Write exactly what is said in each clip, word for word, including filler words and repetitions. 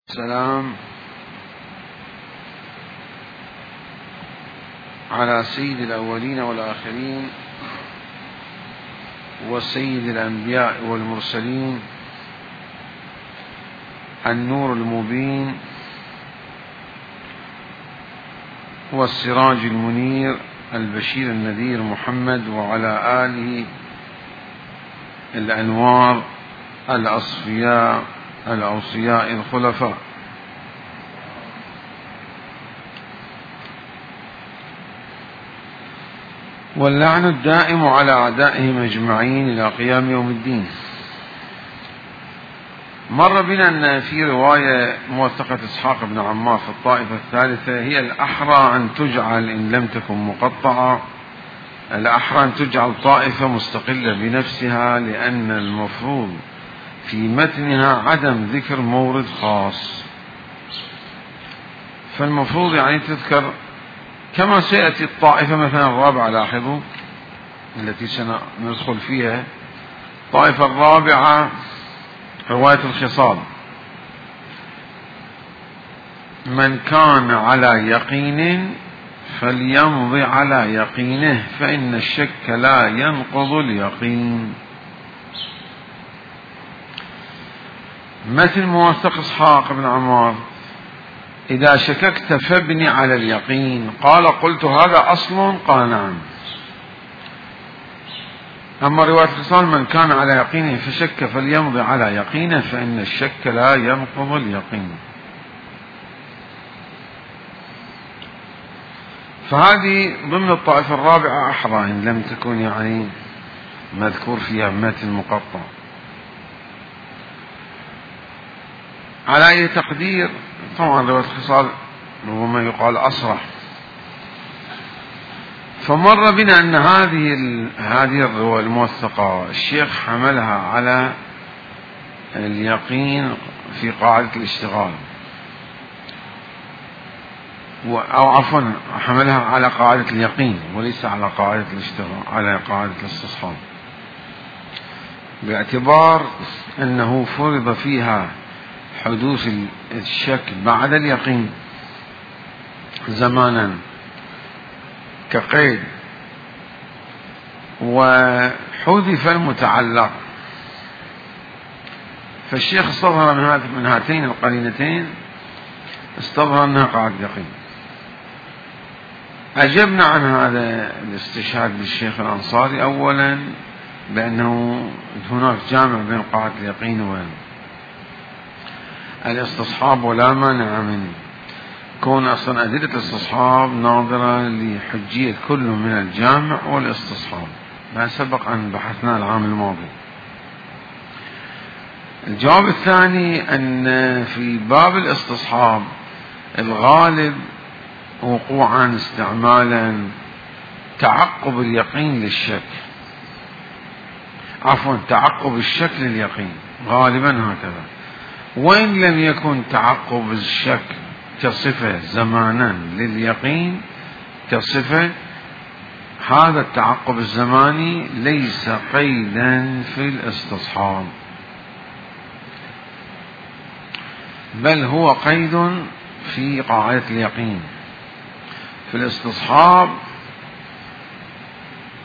السلام على سيد الأولين والآخرين وسيد الأنبياء والمرسلين، النور المبين والسراج المنير، البشير النذير، محمد وعلى آله الأنوار الأصفياء الأوصياء الخلفاء. واللعن الدائم على أعدائهم أجمعين إلى قيام يوم الدين. مر بنا أن في رواية موثقة إسحاق بن عمار في الطائفة الثالثة هي الأحرى أن تجعل إن لم تكن مقطعة، الأحرى أن تجعل طائفة مستقلة بنفسها، لأن المفروض في متنها عدم ذكر مورد خاص، فالمفروض يعني تذكر كما سيأتي الطائفة مثلا الرابعة. لاحظوا التي سندخل فيها، الطائفة الرابعة رواية الخصال: من كان على يقين فليمضي على يقينه فإن الشك لا ينقض اليقين. مثل موثق إسحاق بن عمار: إذا شككت فابني على اليقين. قال: قلت هذا أصل؟ قال: نعم. أما رواية الخصال: من كان على يقينه فشك فليمضي على يقينه فإن الشك لا ينقض اليقين. فهذه ضمن الطائفة الرابعة أحرى إن لم تكن يعني مذكور فيها متن مقطع. على أي تقدير، طبعا رواية الخصال ربما يقال أصرح. فمر بنا أن هذه هذه الرواية الموثقة الشيخ حملها على اليقين في قاعدة الاشتغال، أو عفوا حملها على قاعدة اليقين وليس على قاعدة الاشتغال، على قاعدة الاستصحاب، باعتبار أنه فرض فيها حدوث الشك بعد اليقين زمانا كقيد، وحذف المتعلق. فالشيخ استظهر من هاتين القرينتين، استظهر أنها قاعدة يقين. أجبنا عن هذا الاستشهاد بالشيخ الأنصاري أولا بأنه هناك جامع بين قاعدة اليقين والاستصحاب، ولا مانع من كون أصلا أدلة الاستصحاب ناظرة لحجية كل من الجامع والاستصحاب، ما سبق أن بحثنا العام الماضي. الجواب الثاني أن في باب الاستصحاب الغالب وقوعا استعمالا تعقب اليقين للشك، عفوا تعقب الشك لليقين، غالبا هكذا. وإن لم يكن تعقب الشك كصفة زمانا لليقين كصفة، هذا التعقب الزماني ليس قيدا في الاستصحاب، بل هو قيد في قاعدة اليقين. في الاستصحاب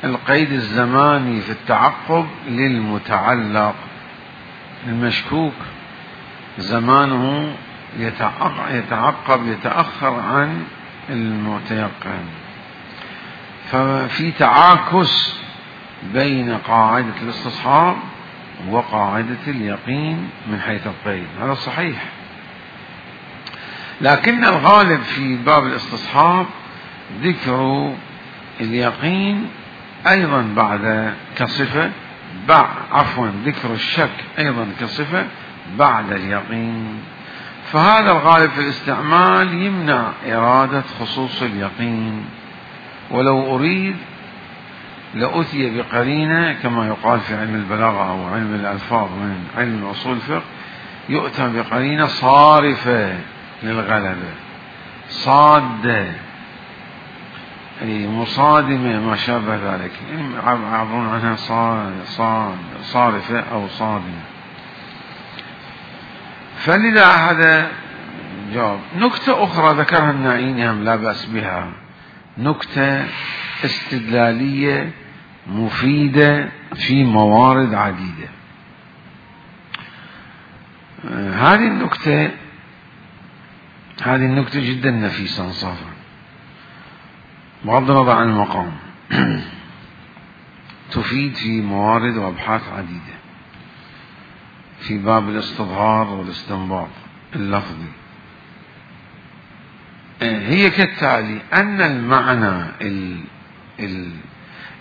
القيد الزماني في التعقب للمتعلق، المشكوك زمانه يتعقب يتأخر عن المتيقن، ففي تعاكس بين قاعدة الاستصحاب وقاعدة اليقين من حيث القيد، هذا صحيح. لكن الغالب في باب الاستصحاب ذكر اليقين أيضا بعد كصفة، عفوا ذكر الشك أيضا كصفة بعد اليقين. فهذا الغالب في الاستعمال يمنع إرادة خصوص اليقين، ولو أريد لأتي بقرينة كما يقال في علم البلاغة أو علم الألفاظ من علم أصول الفقه، يؤتى بقرينة صارفة للغلبة، صادة، أي مصادمة ما شابه ذلك، يعبرون عنها صارفة أو صادمة. فلذا هذا جواب. نكتة أخرى ذكرها النائيني هم لا بأس بها، نكتة استدلالية مفيدة في موارد عديدة. هذه النكتة هذه النكتة جدا نفيسة انصافا بغض النظر عن المقام تفيد في موارد وأبحاث عديدة في باب الاستظهار والاستنباط اللفظي. هي كالتالي: أن المعنى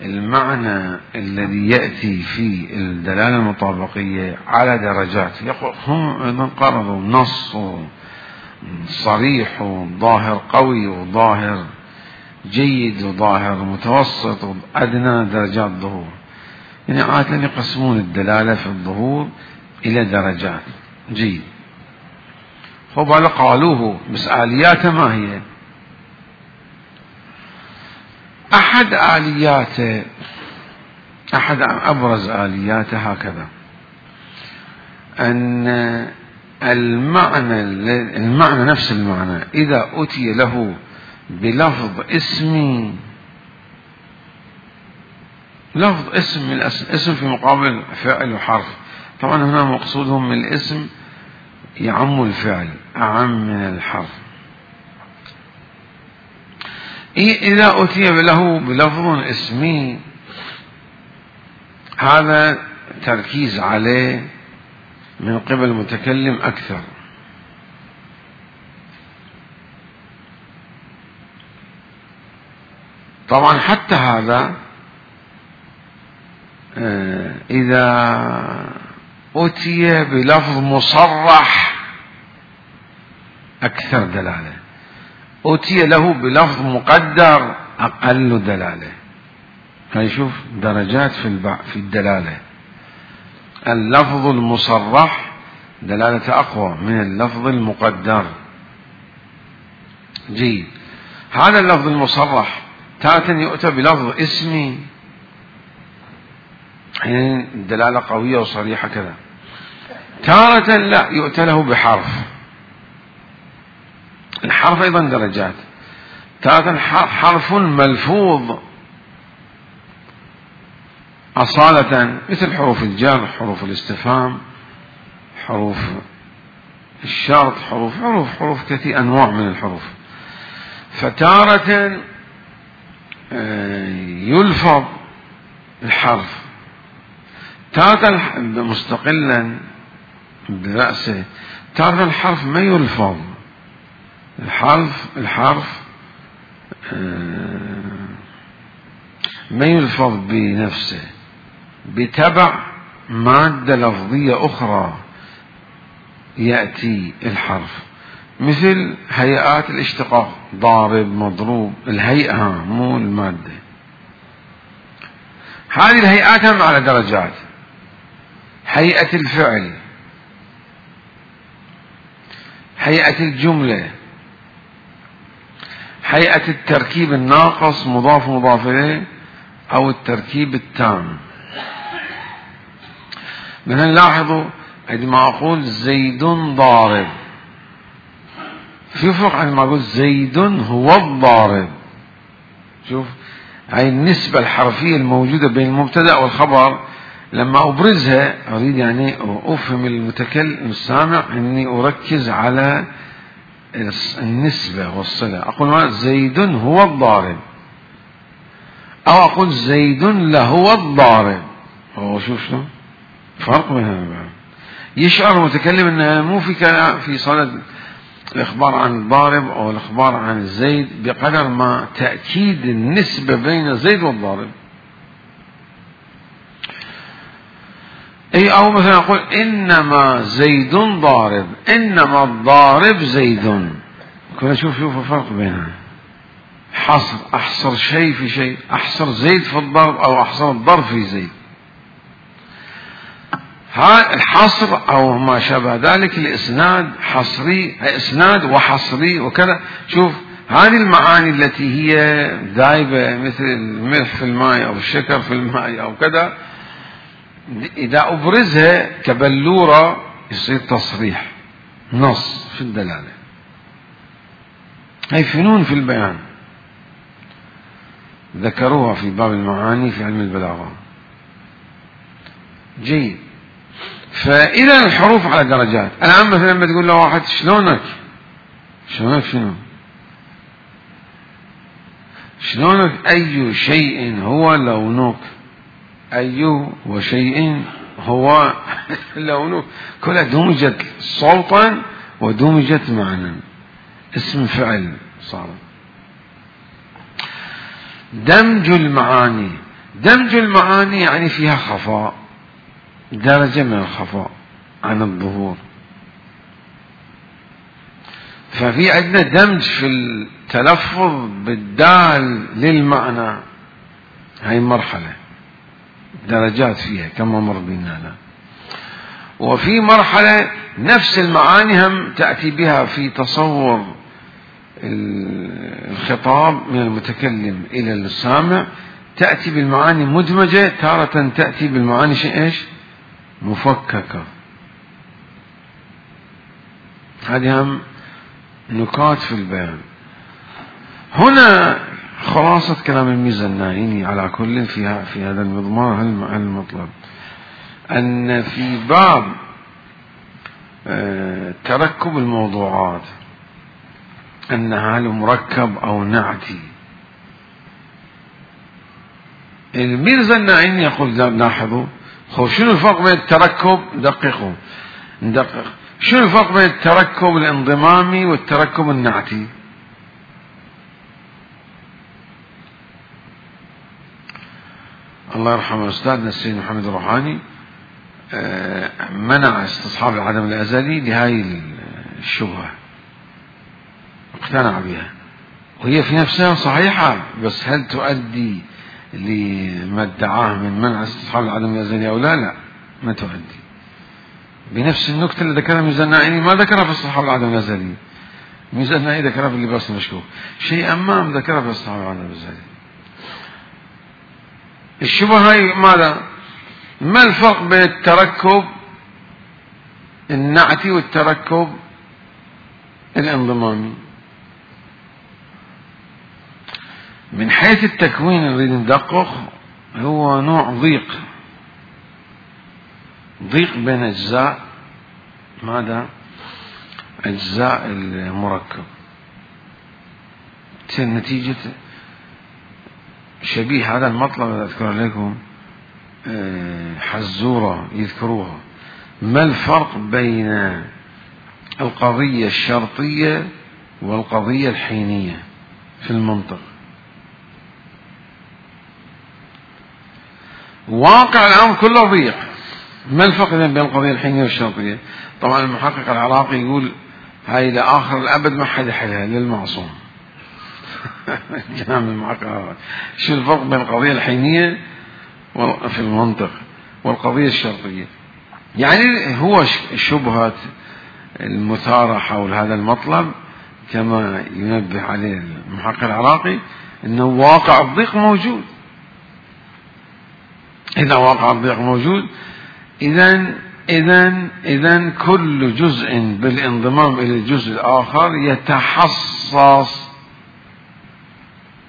المعنى الذي يأتي في الدلالة المطابقية على درجات. هم أيضا قرروا نص صريح وظاهر قوي وظاهر جيد وظاهر متوسط وأدنى درجات ظهور، يعني عادة يقسمون الدلالة في الظهور إلى درجات. جيد. فبعد قالوه بس آلياته ما هي؟ أحد آلياته أحد أبرز آلياته هكذا: أن المعنى المعنى نفس المعنى إذا أتي له بلفظ اسمي، لفظ اسم من اسم في مقابل فعل وحرف، طبعا هنا مقصودهم من الاسم يعم الفعل أعم من الحرف. إذا أتي له بلفظ اسمي هذا تركيز عليه من قبل المتكلم أكثر. طبعا حتى هذا إذا أتي بلفظ مصرح أكثر دلالة، أتي له بلفظ مقدر أقل دلالة. هيشوف درجات في في الدلالة. اللفظ المصرح دلالة أقوى من اللفظ المقدر. جيد. هذا اللفظ المصرح تارة يؤتى بلفظ اسمي، يعني الدلالة قوية وصريحة كذا. تارة لا يؤتى له بحرف. الحرف أيضا درجات. تارة حرف ملفوظ أصالة مثل حروف الجر، حروف الاستفهام، حروف الشرط، حروف حروف حروف كثير أنواع من الحروف. فتارة يلفظ الحرف، تارة مستقلا برأسه، تارة الحرف ما يلفظ. الحرف الحرف ما يلفظ بنفسه، بتبع مادة لفظية أخرى يأتي الحرف، مثل هيئات الاشتقاق، ضارب، مضروب، الهيئة مو المادة. هذه الهيئات هم على درجات. هيئة الفعل، هيئة الجملة، هيئة التركيب الناقص مضاف مضاف إليه أو التركيب التام. من نلاحظوا عندما أقول زيد ضارب، في فرق عندما أقول زيد هو الضارب. شوف هاي النسبة الحرفية الموجودة بين المبتدأ والخبر، لما أبرزها أريد يعني أفهم المتكلم السامع أني أركز على النسبة والصلة. أقول زيد هو الضارب، أو أقول زيد لهو الضارب. هو شوف شو فرق بينها. يشعر المتكلم أنه مو في كلام في صلة الإخبار عن الضارب أو الإخبار عن الزيد بقدر ما تأكيد النسبة بين زيد والضارب. أي أو مثلا أقول إنما زيد ضارب، إنما الضارب زيد. كنا شوف شوف الفرق بينها. حصر، أحصر شيء في شيء، أحصر زيد في الضرب أو أحصر الضرب في زيد. ها الحصر أو ما شابه ذلك، الإسناد حصري، إسناد وحصري وكذا. شوف هذه المعاني التي هي دايبة مثل الملح في الماء أو الشكر في الماء أو كذا، إذا أبرزها كبلورة يصير تصريح، نص في الدلالة. هي فنون في البيان ذكروها في باب المعاني في علم البلاغة. جيد. فإذا الحروف على درجات. الآن مثلا لما تقول له واحد شلونك، شلونك شنو؟ شلونك أي شيء هو لونك، أي وشيء هو لونك، كلها دمجت صوتا ودمجت معنى، اسم فعل صار. دمج المعاني، دمج المعاني يعني فيها خفاء، درجة من الخفاء عن الظهور. ففي عندنا دمج في التلفظ بالدال للمعنى، هاي مرحلة درجات فيها كما مر بنا لا. وفي مرحلة نفس المعاني هم تأتي بها في تصور الخطاب من المتكلم إلى السامع، تأتي بالمعاني مدمجة، تارة تأتي بالمعاني شيء إيش مفككة. هذه هم نكات في البيان. هنا خلاصة كلام الميزة النائيني على كل فيها في هذا المضمار المطلب، أن في باب تركب الموضوعات أن هل مركب أو نعتي. الميرزا النائيني يقول لاحظوا شنو الفرق بين التركب، دققوا ندقق شنو الفرق بين التركب الانضمامي والتركب النعتي. الله يرحمه أستاذنا السيد محمد الروحاني منع استصحاب العدم الأزلي لهذه الشبهة، اقتنع بها وهي في نفسها صحيحة، بس هل تؤدي لما ادعاه من منع استصحاب العدم الأزلي أو لا؟ لا، ما تؤدي. بنفس النكتة اللي ذكرها ميزان النائيني ما ذكرها في استصحاب العدم الأزلي، ميزان النائيني ذكرها في اللباس المشكوك، شيء أمام ذكرها في استصحاب العدم الأزلي. الشبهة هاي ماذا؟ ما الفرق بين التركب النعتي والتركب الانضمامي؟ من حيث التكوين نريد ندقق، هو نوع ضيق، ضيق بين أجزاء ماذا؟ أجزاء المركب. نتيجة شبيه هذا المطلب أذكر لكم حزورة يذكروها، ما الفرق بين القضية الشرطية والقضية الحينية في المنطق؟ واقع الأمر كله ضيق، ما الفرق بين القضية الحينية والشرطية؟ طبعا المحقق العراقي يقول هاي لآخر الأبد ما حد يحلها للمعصوم. جناب المحقق شو الفرق بين القضية الحينية في المنطق والقضية الشرطية؟ يعني هو شبهة المثارة حول هذا المطلب كما ينبه عليه المحقق العراقي أنه واقع الضيق موجود. إذا واقع الضيق موجود، إذن إذن إذن كل جزء بالانضمام إلى الجزء الآخر يتحصص،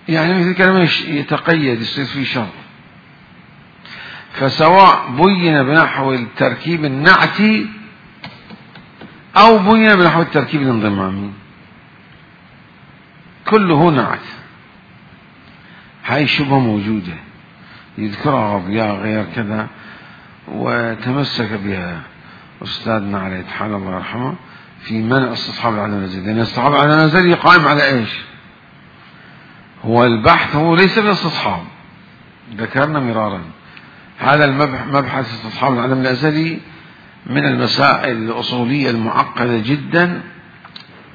يعني مثل كلمة يتقيد، يصير في شرط. فسواء بين بنحو التركيب النعتي أو بين بنحو التركيب الانضمامي، كله نعت. هاي شبهة موجودة يذكرها غضياء غير كذا، وتمسك بها أستاذنا عليه تعالى الله يرحمه في منع استصحاب العدم الأزلي، لأن استصحاب العدم الأزلي قائم على إيش؟ هو البحث هو ليس بالاستصحاب، ذكرنا مرارا هذا المبحث استصحاب العدم الأزلي من المسائل الأصولية المعقدة جدا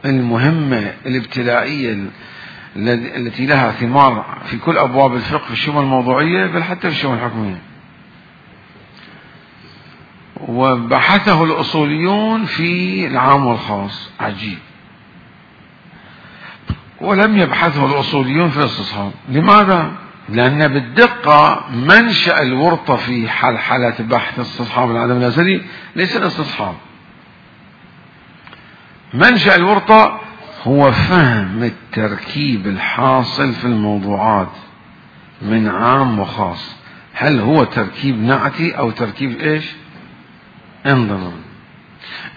المهمة الابتدائية التي لها ثمار في كل أبواب الفقه في الشؤون الموضوعية بل حتى في الشؤون الحكمية. وبحثه الأصوليون في العام والخاص، عجيب. ولم يبحثه الأصوليون في الاستصحاب. لماذا؟ لأن بالدقة منشأ الورطة في حلحلة بحث استصحاب العدم الأزلي ليس الاستصحاب. منشأ الورطة هو فهم التركيب الحاصل في الموضوعات من عام وخاص. هل هو تركيب نعتي أو تركيب إيش؟ انضمام.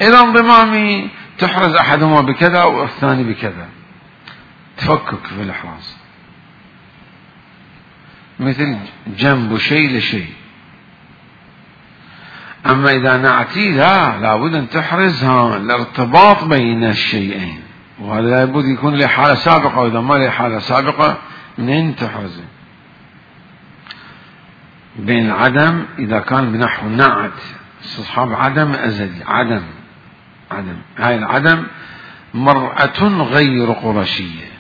إذا انضمامي تحرز أحدهما بكذا والثاني بكذا، تفكك في الإحراز، مثل جنب شيء لشيء. أما إذا نعتي لا، لابد أن تحرز ها الارتباط بين الشيئين، وهذا لابد يكون له حالة سابقة، وإذا ما له حالة سابقة منين تحرزه؟ بين العدم إذا كان بنحو نعت استصحاب عدم أزلي، عدم عدم هاي العدم مرأة غير قرشية،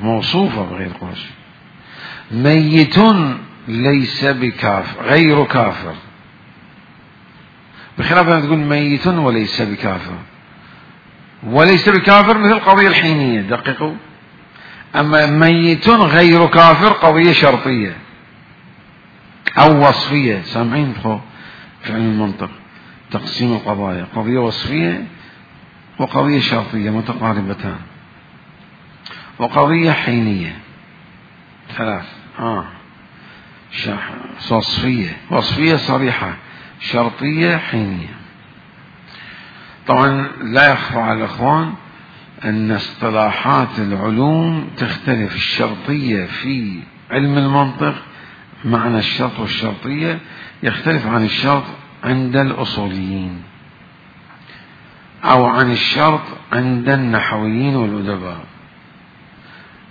موصوفة بغير قرشي. ميت ليس بكافر، غير كافر، بخلاف أن تقول ميت وليس بكافر. وليس بكافر مثل القضية الحينية، دققوا. أما ميت غير كافر قضية شرطية أو وصفية. سامعين خو في علم المنطق تقسيم القضايا، قضية وصفية وقضية شرطية متقاربتان، وقضية حينية، ثلاث آه وصفية وصفية صريحة، شرطية، حينية. طبعا لا يخفى على الأخوان أن اصطلاحات العلوم تختلف. الشرطية في علم المنطق معنى الشرط والشرطية يختلف عن الشرط عند الأصوليين أو عن الشرط عند النحويين والأدباء،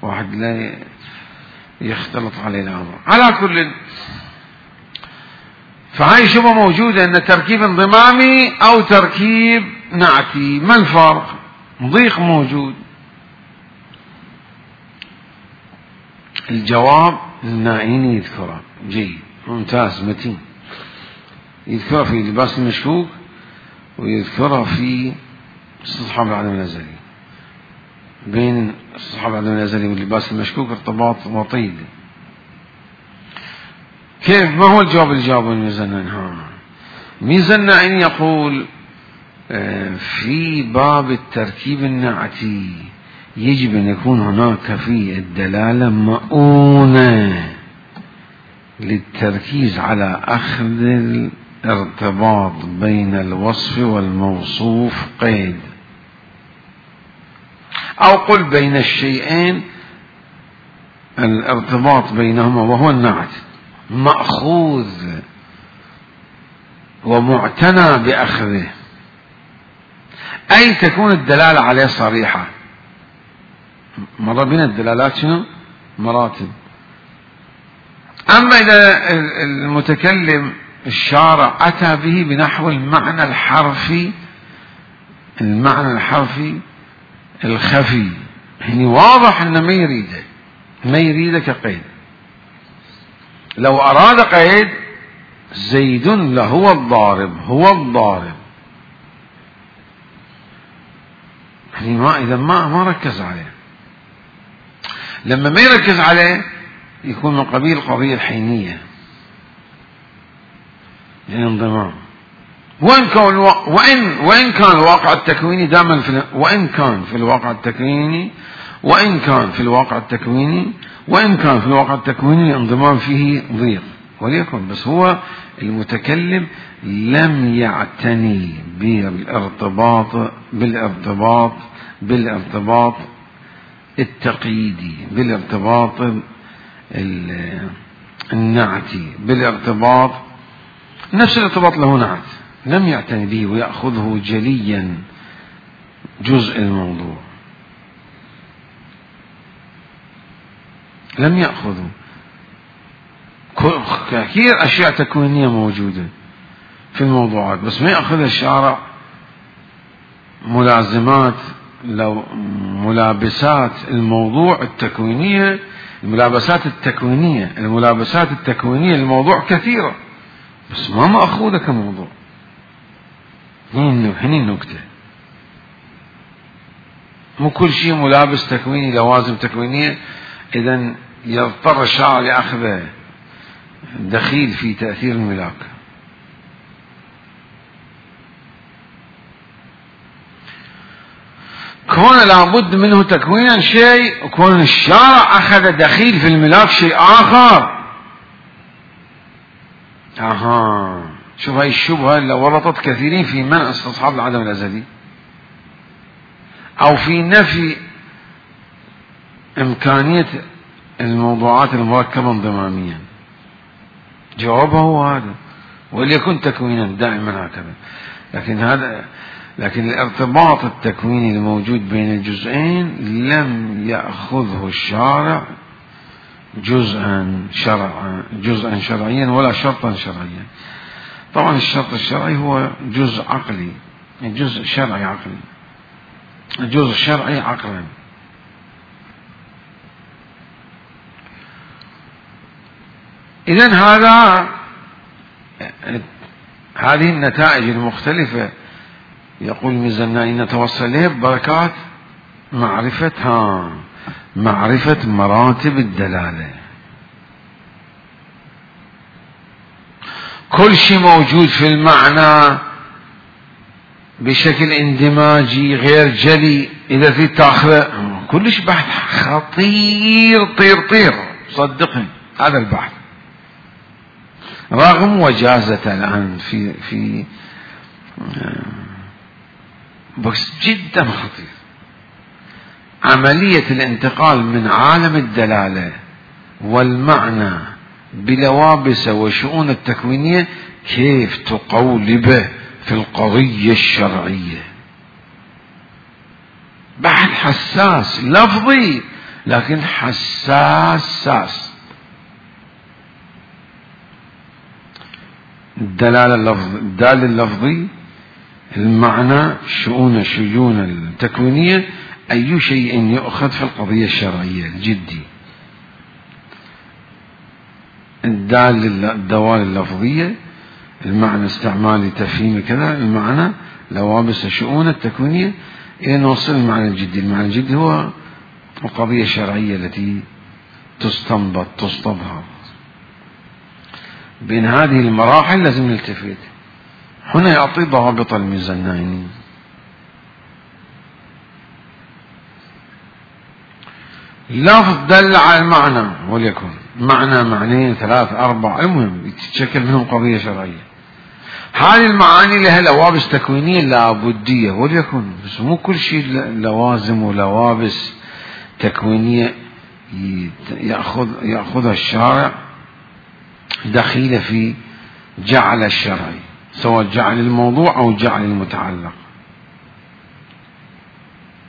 واحد لا يختلط عليه الأمر. على كل، فهاي شبه موجودة أن تركيب انضمامي أو تركيب نعتي. ما الفرق؟ ضيق موجود. الجواب النائيني يذكره جيد ممتاز متين، يذكره في لباس المشكوك ويذكره في استصحاب العدم الأزلي. بين استصحاب العدم الأزلي واللباس المشكوك ارتباط وطيد. كيف؟ ما هو الجواب اللي جابه الميزان؟ ها ميزان أن يقول في باب التركيب النعتي يجب أن يكون هناك في الدلالة مؤونة للتركيز على أخذ الارتباط بين الوصف والموصوف قيد، أو قل بين الشيئين الارتباط بينهما وهو النعت مأخوذ ومعتنى بأخذه، أي تكون الدلالة عليه صريحة. مرة بين الدلالات شنو؟ مراتب. أما إذا المتكلم الشارع أتى به بنحو المعنى الحرفي، المعنى الحرفي الخفي، يعني واضح أنه ما يريده، ما يريده كقيد. لو أراد قيد زيد لهو الضارب، هو الضارب، يعني ما إذا ما ما ركز عليه. لما ما يركز عليه يكون من قبيل القضية الحينية، يعني انضمام. وإن كان وإن وإن كان الواقع التكويني دائما في وإن كان في الواقع التكويني وإن كان في الواقع التكويني وإن كان في الواقع التكويني الانضمام فيه ضيق، وليكن بس هو المتكلم لم يعتني بالارتباط بالارتباط بالارتباط التقييدي، بالارتباط النعتي، بالارتباط نفس الارتباط له نعت، لم يعتني به ويأخذه جليا جزء الموضوع، لم يأخذه. كثير أشياء تكوينية موجودة في الموضوعات بس ما يأخذها الشارع ملازمات، لو ملابسات الموضوع التكوينية، الملابسات التكوينية الملابسات التكوينية الموضوع كثيرة بس ما مأخوذة كموضوع. هني النكتة، مو كل شيء ملابس تكويني لوازم تكوينية، إذن يضطر الشارع لأخذه دخيل في تأثير الملاك. كون لابد منه تكوينا شيء، وكون الشارع أخذ دخيل في الملاك شيء آخر. أها، شوف هاي الشبهة اللي ورطت كثيرين في منع استصحاب العدم الأزلي أو في نفي إمكانية الموضوعات المركبة انضماميا. جوابه هو هذا، وليكن تكوينا دائما هكذا. لكن هذا لكن الارتباط التكويني الموجود بين الجزئين لم يأخذه الشارع جزءا شرعا جزءا شرعيا ولا شرطا شرعيا. طبعا الشرط الشرعي هو جزء عقلي، جزء شرعي عقلي، جزء شرعي عقلا. إذن هذا هذه النتائج المختلفة يقول الميزاني نتوصل إليه ببركات معرفة ها معرفة مراتب الدلالة. كل شيء موجود في المعنى بشكل اندماجي غير جلي، إذا في تاخذه كلش بحث خطير طير طير صدقني. هذا البحث رغم وجازته الآن في في بس جدا خطير. عملية الانتقال من عالم الدلالة والمعنى بلوابسه وشؤون التكوينية كيف تقولبه في القضية الشرعية. بحث حساس لفظي لكن حساس. الدلالة اللفظ الدال اللفظي، المعنى، شؤون الشجون التكوينية، أي شيء يؤخذ في القضية الشرعية الجدي. الدال الدوال اللفظية، المعنى استعمالي تفهيمي كذا، المعنى لوابس الشؤون التكوينية، إلى نوصل المعنى الجدي. المعنى الجدي هو القضية الشرعية التي تستنبط تستظهر. بين هذه المراحل لازم نلتفت. هنا يعطي ضوابط الميزاني. لفظ دل على المعنى، وليكن معنى معنيين ثلاث أربع المهم يتشكل منهم قضية شرعية. هذه المعاني لها لوابس تكوينية لابدية، وليكن بس مو كل شيء لوازم ولوابس تكوينية يأخذ يأخذها الشارع دخيلة في جعل الشرعي، سواء جعل الموضوع أو جعل المتعلق.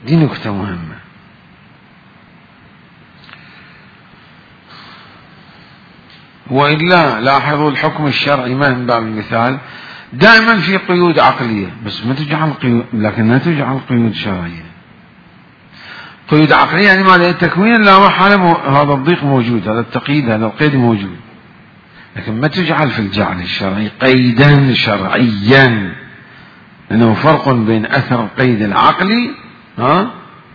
دي نكتة مهمة. وإلا لاحظوا الحكم الشرعي ما من باب المثال دائما في قيود عقلية، بس ما تجعل قيود، لكن لا تجعل قيود شرعية. قيود عقلية يعني ما التكوين لا محالة، هذا الضيق موجود، هذا التقييد، هذا القيد موجود، لكن ما تجعل في الجعل الشرعي قيدا شرعيا، لأنه فرق بين أثر القيد العقلي ها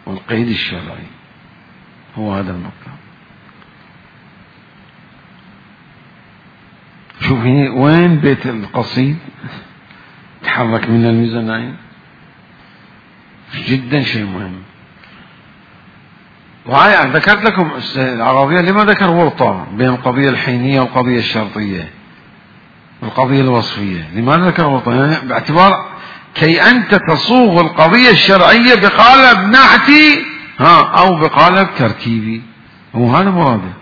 والقيد الشرعي. هو هذا المطلب. شوف هنا وين بيت القصيد تحرك من الميزانين، جدا شيء مهم. وهاي ذكرت لكم العربية لما ذكر ورطة بين القضية الحينية والقضية الشرطية والقضية الوصفية. لماذا ذكر ورطة؟ يعني باعتبار كي أنت تصوغ القضية الشرعية بقالب نعتي ها أو بقالب تركيبي، وهذا مراده.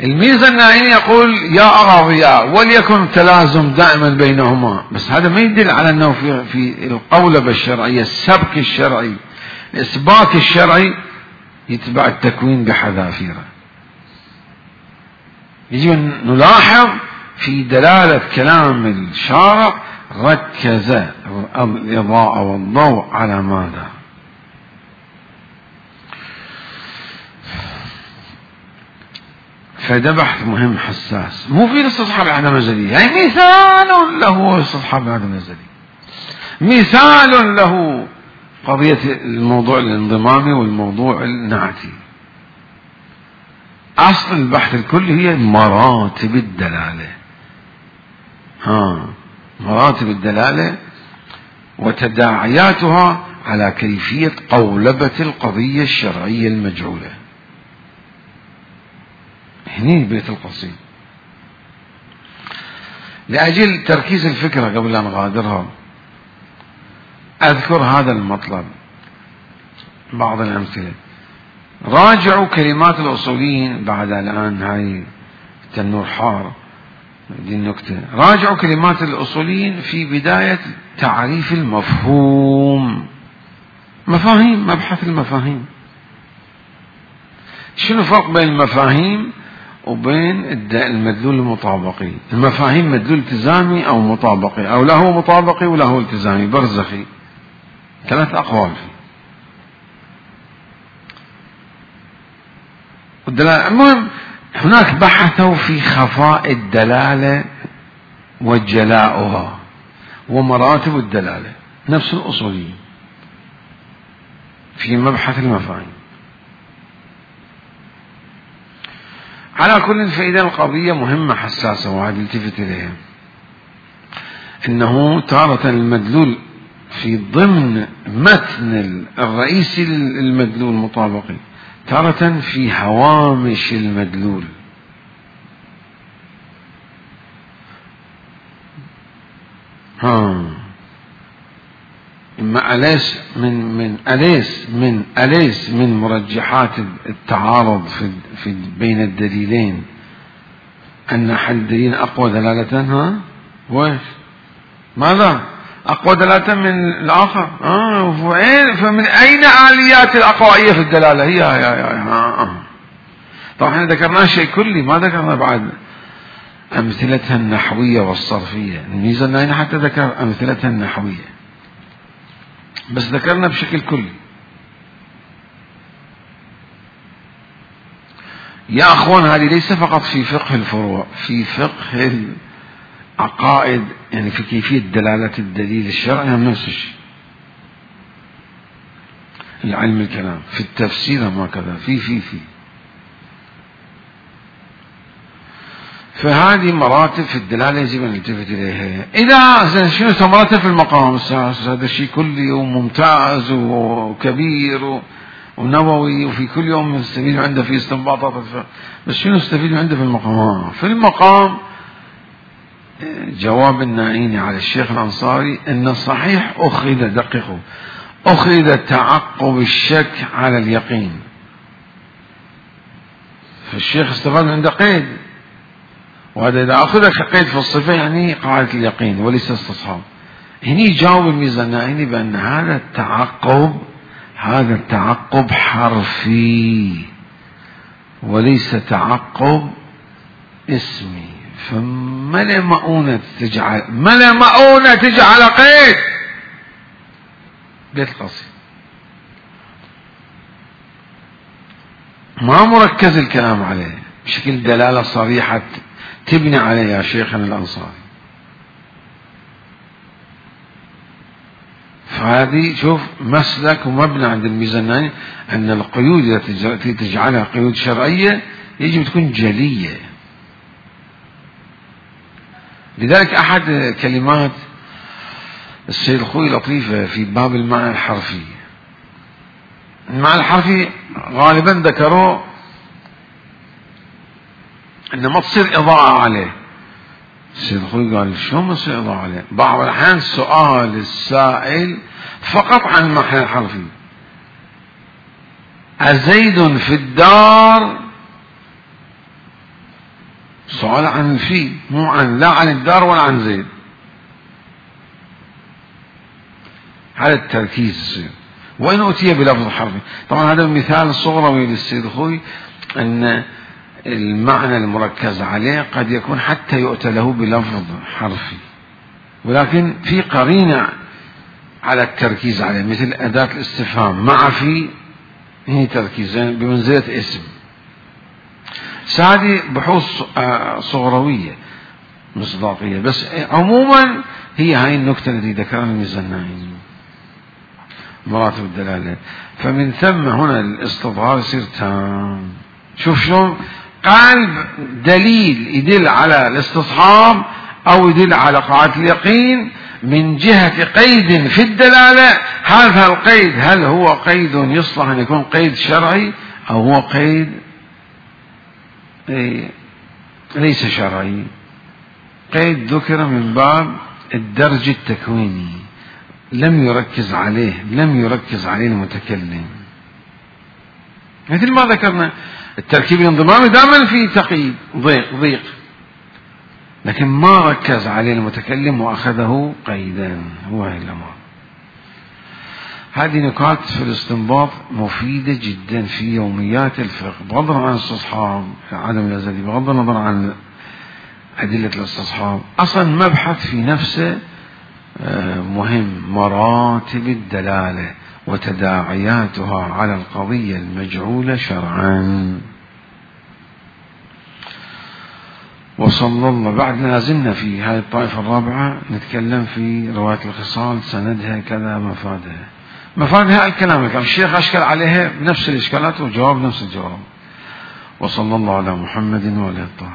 الميزاني يقول يا أراضياء وليكن تلازم دائما بينهما، بس هذا ما يدل على أنه في, في القولبة الشرعية السبك الشرعي الإثبات الشرعي يتبع التكوين بحذافيره. يجب أن نلاحظ في دلالة كلام الشارع ركز الإضاءة والضوء على ماذا؟ فده بحث مهم حساس، مو في استصحاب العدم الأزلي، يعني مثال له استصحاب العدم الأزلي، مثال له قضية الموضوع الانضمامي والموضوع النعتي. أصل البحث الكلي هي مراتب الدلالة. ها مراتب الدلالة وتداعياتها على كيفية قولبة القضية الشرعية المجعولة. هني بيت القصيد. لأجل تركيز الفكرة قبل أن أغادرها أذكر هذا المطلب بعض الأمثلة. راجعوا كلمات الأصوليين بعد الآن هاي التنور حار دي النكتة. راجعوا كلمات الأصوليين في بداية تعريف المفهوم. مفاهيم، مبحث المفاهيم. شنو الفرق بين المفاهيم وبين المدلول المطابقي؟ المفاهيم مدلول التزامي أو مطابقي، أو له مطابقي وله التزامي برزخي، ثلاث أقوال فيه. والدلالة المهم هناك بحثوا في خفاء الدلالة وجلاؤها ومراتب الدلالة، نفس الأصوليين في مبحث المفاهيم. على كل فإذا القضية مهمة حساسة وهذه التفت إليها، إنه تارة المدلول في ضمن متن الرئيسي للمدلول المطابقي، تارة في هوامش المدلول. ها إما أليس من من أليس من أليس من مرجحات التعارض في في بين الدليلين أن أحد الدليلين أقوى دلالة. ها وش ماذا أقوى دلالة من الآخر؟ آه فمن أين آليات الأقوائية في الدلالة؟ هي يا يا ها. طبعا احنا ذكرنا شيء كلي، ما ذكرنا بعد أمثلتها النحوية والصرفية. الميزة أن حتى ذكر أمثلتها النحوية، بس ذكرنا بشكل كلي. يا أخوان هذه ليس فقط في فقه الفروع، في فقه العقائد، يعني في كيفية دلالة الدليل الشرعي هم نفس الشيء. العلم الكلام في التفسير ما كذا في في في فهذه مراتب في الدلالة يجب أن نلتفت إليها. إذا شنو مراتب في المقام السادس؟ هذا الشيء كلي وممتاز وكبير ونووي، وفي كل يوم نستفيد عنده في استنباطات، بس شنو نستفيد عنده في المقام؟ في المقام جواب النائيني على الشيخ الأنصاري أن الصحيح أخذ، دققوا، أخذ تعقب الشك على اليقين. فالشيخ استفاد من عنده قيد، وهذا إذا أخذ كقيد في الصفة يعني قاعدة اليقين وليس استصحاب. هني يجاوب الميزان النائيني بأن هذا التعقب هذا التعقب حرفي وليس تعقب اسمي. فما لا مؤونة تجعل ما لا مؤونة تجعل قيد بيت القصيد، ما مركز الكلام عليه بشكل دلالة صريحة تبني عليه يا شيخنا الأنصاري. فهذه شوف مسلك ومبنى عند الميزانية أن القيود التي تجعلها قيود شرعية يجب تكون جلية. لذلك أحد كلمات السيد الخوي لطيفة في باب المعنى الحرفي، المعنى الحرفي غالبا ذكروا أن ما تصير إضاءة عليه. السيد الخوي قال شو ما تصير إضاءة عليه؟ بعض الأحيان سؤال السائل فقط عن المعنى الحرفي، أزيد في الدار، سؤال عن الفي مو عن لا عن الدار ولا عن زيد. هذا التركيز يصير وإن أتي بلفظ حرفي. طبعا هذا مثال صغروي للسيد الخوي أن المعنى المركز عليه قد يكون حتى يؤتى له بلفظ حرفي، ولكن في قرينة على التركيز عليه مثل أداة الاستفهام مع في، هي تركيز بمنزلة اسم. هذه بحوث صغروية مصداقية، بس عموما هي هاي النكتة التي ذكرها الميزانيين مراتب الدلالة. فمن ثم هنا الاستظهار يصير تام. شوف شلون قلب دليل يدل على الاستصحاب أو يدل على قاعدة اليقين من جهة قيد في الدلالة، هذا القيد هل هو قيد يصلح أن يكون قيد شرعي أو هو قيد ليس شرعي؟ قيد ذكر من باب الدرج التكويني، لم يركز عليه لم يركز عليه المتكلم، مثل ما ذكرنا التركيب الانضمامي دائما في تقييد ضيق ضيق، لكن ما ركز عليه المتكلم وأخذه قيدا. هو هي الأمر. هذه نكات في الاستنباط مفيدة جدا في يوميات الفقه، بغض النظر عن الاستصحاب عدم الأزلي، بغض النظر عن أدلة الاستصحاب. أصلا مبحث في نفسه مهم، مراتب الدلالة وتداعياتها على القضية المجعولة شرعا. وصلى الله. بعد لازلنا في هذه الطائفة الرابعة نتكلم في رواية الخصال، سندها كذا، مفادها مفادها الكلام الكلام الشيخ أشكل عليها بنفس الإشكالات وجواب نفس الجواب. وصلى الله على محمد وعلى آله الطاهرين.